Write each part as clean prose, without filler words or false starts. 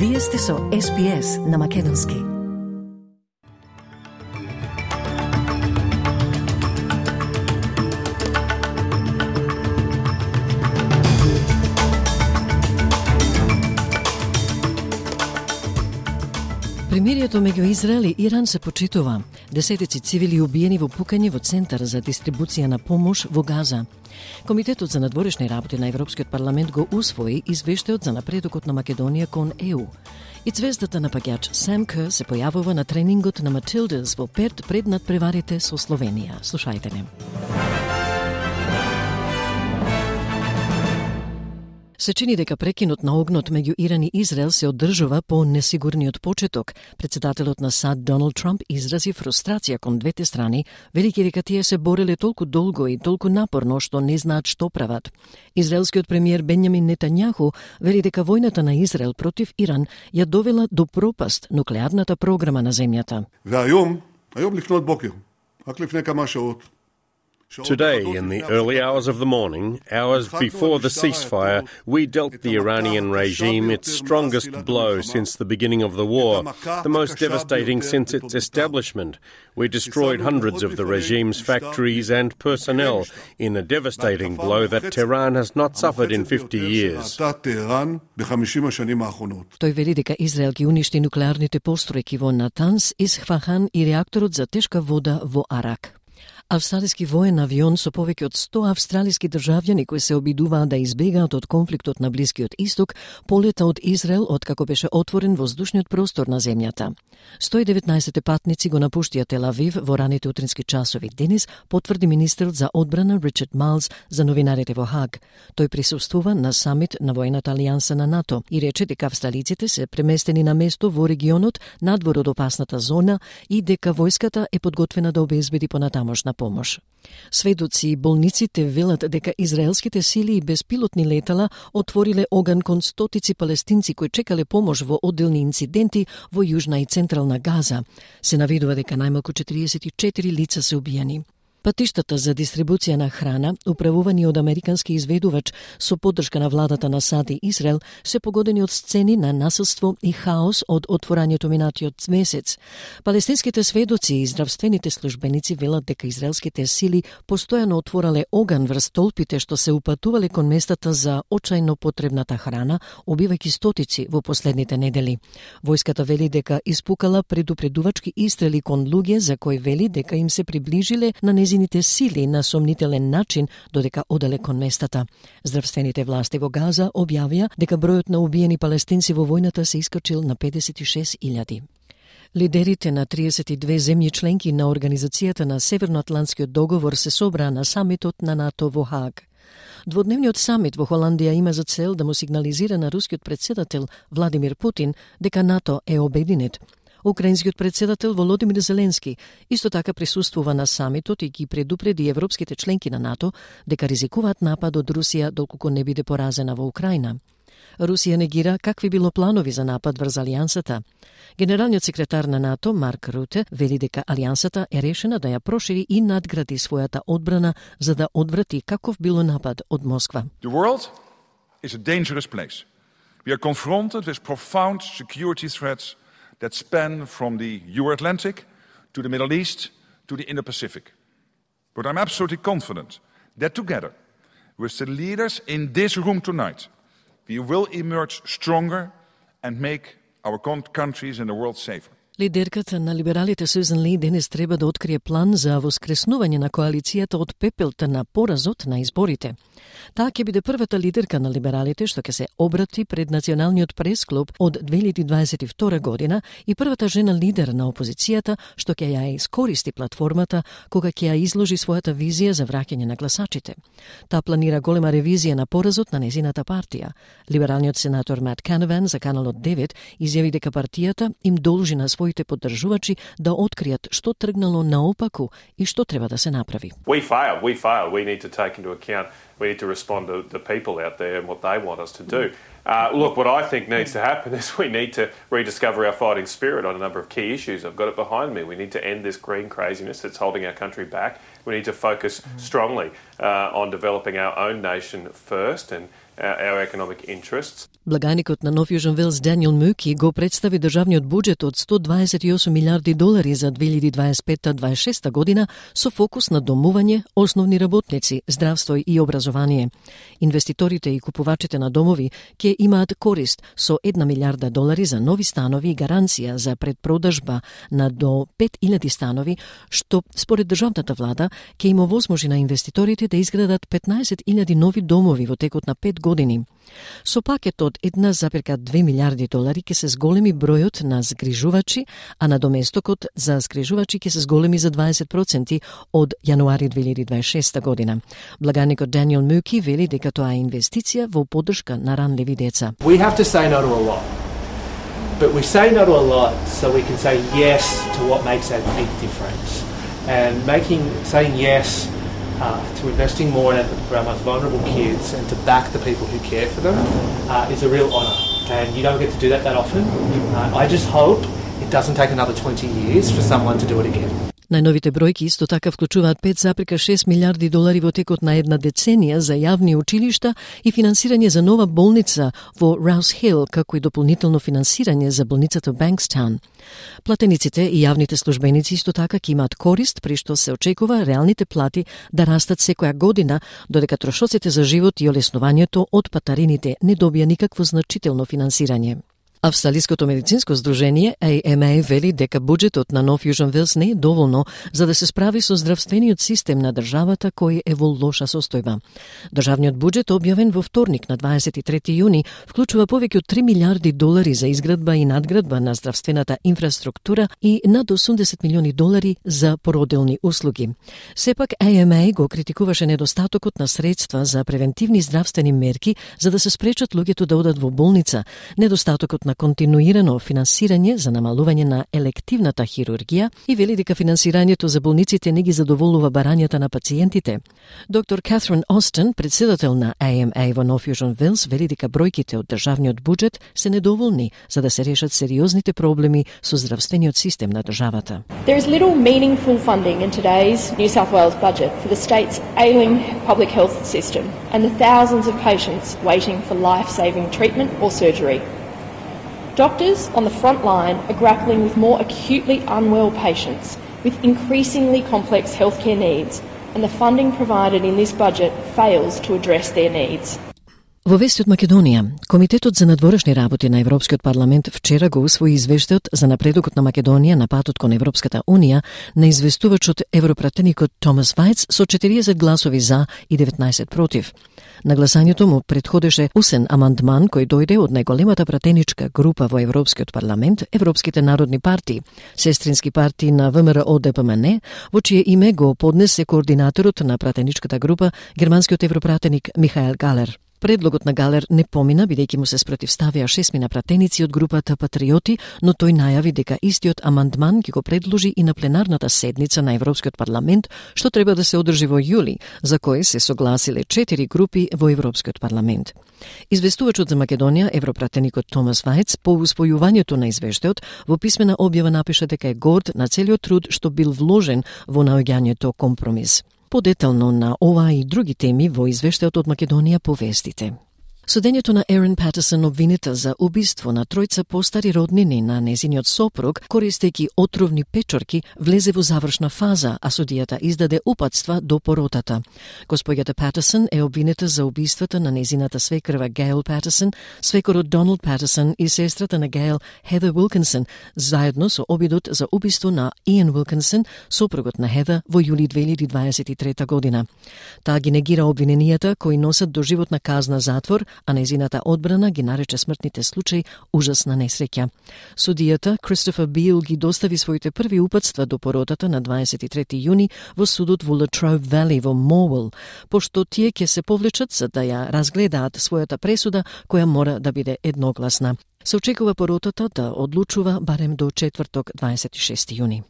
Вие сте со SPS на Македонски. Примирието меѓу Израел и Иран се почитува. Десетици цивили убиени во пукање во центар за дистрибуција на помош во Газа. Комитетот за надворешни работи на Европскиот парламент го усвои извештајот за напредокот на Македонија кон ЕУ. И звездата напаѓач Сам Кер се појавува на тренингот на Матилдас во Перт пред надпреварите со Словенија. Слушајте не. Се чини дека прекинот на огнот меѓу Иран и Израел се одржува по несигурниот почеток. Председателот на САД Доналд Трамп изрази фрустрација кон двете страни, велики дека тие се бореле толку долго и толку напорно што не знаат што прават. Израелскиот премиер Бенјамин Нетањаху вели дека војната на Израел против Иран ја довела до пропаст нуклеарната програма на земјата. Today, in the early hours of the morning, hours before the ceasefire, we dealt the Iranian regime its strongest blow since the beginning of the war, the most devastating since its establishment. We destroyed hundreds of the regime's factories and personnel in a devastating blow that Tehran has not suffered in 50 years. Тој вели дека Израел ги уништи нуклеарните постројки во Натанс, Исфахан и реакторот за тешка вода во Арак. Австралиски воен авион со повеќе од 100 австралиски државјани кои се обидуваат да избегаат од конфликтот на Блискиот Исток полета од Израел откако беше отворен воздушниот простор на земјата. 119 патници го напуштија Тел Авив во раните утрински часови денес, потврди министерот за одбрана Ричард Майлз за новинарите во Хаг. Тој присуствува на самит на војната алијанса на НАТО и рече дека австралиците се преместени на место во регионот надвор од опасната зона и дека војската е подготвена да обезбеди понатамошна помош. Сведоци и болниците велат дека израелските сили и безпилотни летала отвориле оган кон стотици палестинци кои чекале помош во одделни инциденти во јужна и централна Газа. Се наведува дека најмалку 44 лица се убиени. Патиштата за дистрибуција на храна, управувани од американски изведувач со поддршка на владата на САД и Израел, се погодени од сцени на насилство и хаос од отворањето минатиот месец. Палестинските сведоци и здравствените службеници велат дека израелските сили постојано отворале оган врз толпите што се упатувале кон местата за очајно потребната храна, убивајќи стотици во последните недели. Војската вели дека испукала предупредувачки истрели кон луѓе за кои вели дека им се приближиле на незините сили на сомнителен начин додека оделе кон местата. Здравствените власти во Газа објавија дека бројот на убиени палестинци во војната се искачил на 56.000. Лидерите на 32 земји членки на Организацијата на Северноатлантскиот договор се собраа на самитот на НАТО во Хаг. Дводневниот самит во Холандија има за цел да му сигнализира на рускиот председател Владимир Путин дека НАТО е обединет. Украинскиот председател Володимир Зеленски исто така присуствува на самитот и ги предупреди европските членки на НАТО дека ризикуваат напад од Русија доколку не биде поразена во Украина. Русија негира какви било планови за напад врз алијансата. Генералниот секретар на НАТО Марк Руте вели дека алијансата е решена да ја прошири и надгради својата одбрана за да одврати каков било напад од Москва. The world is a dangerous place. We are confronted with profound security threats that span from the Euro-Atlantic to the Middle East to the Indo-Pacific. But I'm absolutely confident that together, with the leaders in this room tonight, we will emerge stronger and make our countries and the world safer. Лидерката на либералите Сюзан Ли денес треба да открие план за воскреснување на коалицијата од пепелта на поразот на изборите. Таа ќе биде првата лидерка на либералите што ќе се обрати пред Националниот пресклуб од 2022 година и првата жена лидер на опозицијата што ќе ја искористи платформата кога ќе ја изложи својата визија за враќање на гласачите. Таа планира голема ревизија на поразот на незината партија. Либералниот сенатор Мат Канаван за Каналот 9 изјави дека партијата им должи на своите поддржувачи да откријат што тргнало наопаку и што треба да се направи. We failed. We need to take into account, we need to respond to the people out there and what they want us to do. Look, what I think needs to happen is we need to rediscover our fighting spirit on a number of key issues. I've got it behind me. We need to end this green craziness that's holding our country back. We need to focus strongly on developing our own nation first and our economic interests. Благајникот на Нов Јужен Велс Даниел Муки го представи државниот буџет од $128 милиарди за 2025-26 година со фокус на домување, основни работници, здравство и образование. Инвеститорите и купувачите на домови ќе имаат корист со $1 милиарда за нови станови и гаранција за предпродажба на до 5000 станови, што според државната влада ќе им овозможи на инвеститорите да изградат 15,000 нови домови во текот на 5 години. Со пакет од $1,2 милиарди ќе се зголеми бројот на згрижувачи, а надоместокот за згрижувачи ќе се зголеми за 20% од јануари 2026 година. Благајникот Даниел Муки вели дека тоа е инвестиција во поддршка на ранливи деца. We have to say no to a lot. But we say no to a lot so we can say yes to what makes that big difference. And saying yes to investing more in for our most vulnerable kids and to back the people who care for them is a real honour. And you don't get to do that often. I just hope it doesn't take another 20 years for someone to do it again. Најновите бројки исто така вклучуваат $5,6 милиарди во текот на една деценија за јавни училишта и финансирање за нова болница во Rouse Hill, како и дополнително финансирање за болницата Bankstown. Платениците и јавните службеници исто така ќе имаат корист при што се очекува реалните плати да растат секоја година, додека трошоците за живот и олеснувањето од патарините не добија никакво значително финансирање. Австралиското медицинско здружение AMA вели дека буџетот на Нов Јужен Велс не е доволно за да се справи со здравствениот систем на државата кој е во лоша состојба. Државниот буџет објавен во вторник на 23 јуни вклучува повеќе од $3 милиарди за изградба и надградба на здравствената инфраструктура и над $80 милиони за породилни услуги. Сепак AMA го критикуваше недостатокот на средства за превентивни здравствени мерки за да се спречат луѓето да одат во болница, недостатокот на континуирано финансирање за намалување на елективната хирургија и вели дека финансирањето за болниците не ги задоволува барањата на пациентите. Доктор Катрин Остен, председател на AMA во Нов Јужен Велс, вели дека бројките од државниот буџет се недоволни за да се решат сериозните проблеми со здравствениот систем на државата. There is little meaningful funding in today's New South Wales budget for the state's ailing public health system and the thousands of patients waiting for life-saving treatment or surgery. Doctors on the front line are grappling with more acutely unwell patients with increasingly complex healthcare needs, and the funding provided in this budget fails to address their needs. Во вести од Македонија, Комитетот за надворешни работи на Европскиот парламент вчера го усвои извештајот за напредокот на Македонија на патот кон Европската Унија на известувачот европратеникот Томас Вајц со 40 гласови за и 19 против. На гласањето му предходеше усен амандман кој дојде од најголемата пратеничка група во Европскиот парламент, Европските народни партии, сестрински партии на ВМРО ДПМН, во чие име го поднесе координаторот на пратеничката група, германскиот европратеник Михаел Галер. Предлогот на Галер не помина, бидејќи му се спротивставија 6 пратеници од групата Патриоти, но тој најави дека истиот амандман ќе го предложи и на пленарната седница на Европскиот парламент, што треба да се одржи во јули, за кој се согласиле 4 групи во Европскиот парламент. Известувачот за Македонија, европратеникот Томас Вајц, по усвојувањето на извештајот, во писмена објава напиша дека е горд на целиот труд што бил вложен во наоѓањето компромис. Подетално на ова и други теми во извештајот од Македонија по вестите. Судењето на Ерин Патерсон, обвинита за убиство на тројца постари роднини на незиниот сопруг, користејќи отровни печорки, влезе во завршна фаза, а судијата издаде упатства до поротата. Господјата Патерсон е обвинита за убиствата на незината свекрва Гейл Патерсон, свекорот Доналд Патерсон и сестрата на Гейл Хедер Уилкинсон, заедно со обидот за убиство на Иан Уилкинсон, сопругот на Хедер, во јули 2023 година. Таа ги негира обвиненијата кои носат доживотна казна затвор, а незината одбрана ги нарече смртните случаи ужасна несреќа. Судијата Кристофер Бил ги достави своите први упатства до поротата на 23 јуни во судот во Latrobe Valley во Morwell, пошто тие ќе се повлечат за да ја разгледаат својата пресуда која мора да биде едногласна. Се очекува поротата да одлучува барем до четврток 26 јуни.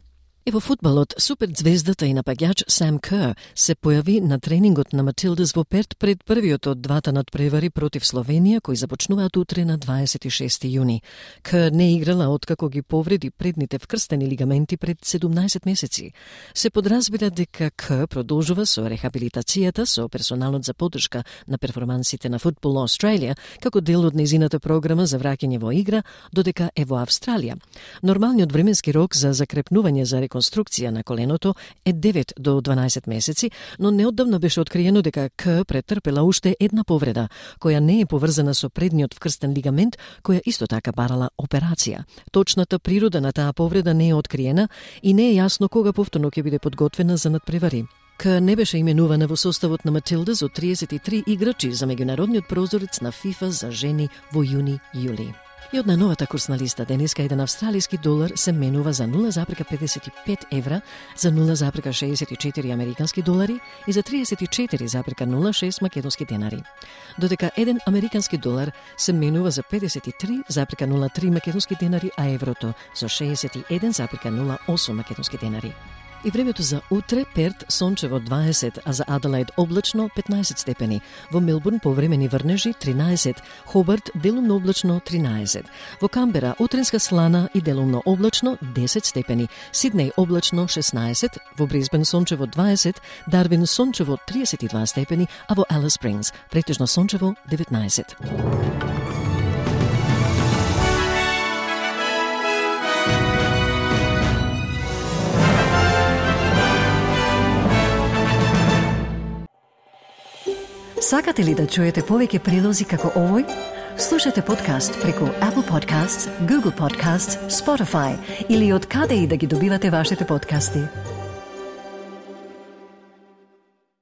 И во фудбалот, суперзвездата и напаѓач Сам Кер се појави на тренингот на Матилдас во Перт пред првиот од двата надпревари против Словенија, кои започнуваат утре на 26 јуни. Кер не играла откако ги повреди предните вкрстени лигаменти пред 17 месеци. Се подразбира дека Кер продолжува со рехабилитацијата со персоналот за поддршка на перформансите на Football Australia како дел од нејзината програма за враќање во игра, додека е во Австралија. Нормалниот временски рок за закрепнување за реконструкција на коленото е 9 до 12 месеци, но неодамна беше откриено дека К претрпела уште една повреда, која не е поврзана со предниот вкрстен лигамент, која исто така барала операција. Точната природа на таа повреда не е откриена и не е јасно кога повторно ќе биде подготвена за надпревари. К не беше именувана во составот на Матилдас од 33 играчи за меѓународниот прозорец на ФИФА за жени во јуни-јули. И од најновата курсна листа денеска еден австралиски долар се менува за 0,55 евра, за 0,64 американски долари и за 34,06 македонски денари. Додека еден американски долар се менува за 53,03 македонски денари, а еврото за 61,08 македонски денари. И времето за утре: Перт сончево 20, а за Аделаид облачно 15 степени. Во Мелбурн повремени врнежи 13, Хобарт делумно облачно 13. Во Камбера утренска слана и делумно облачно 10 степени. Сиднеј облачно 16, во Брисбен сончево 20, Дарвин сончево 32 степени, а во Алис Спрингс претежно сончево 19. Сакате ли да чуете повеќе прилози како овој? Слушате подкаст преку Apple Podcasts, Google Podcasts, Spotify или од каде и да ги добивате вашите подкасти.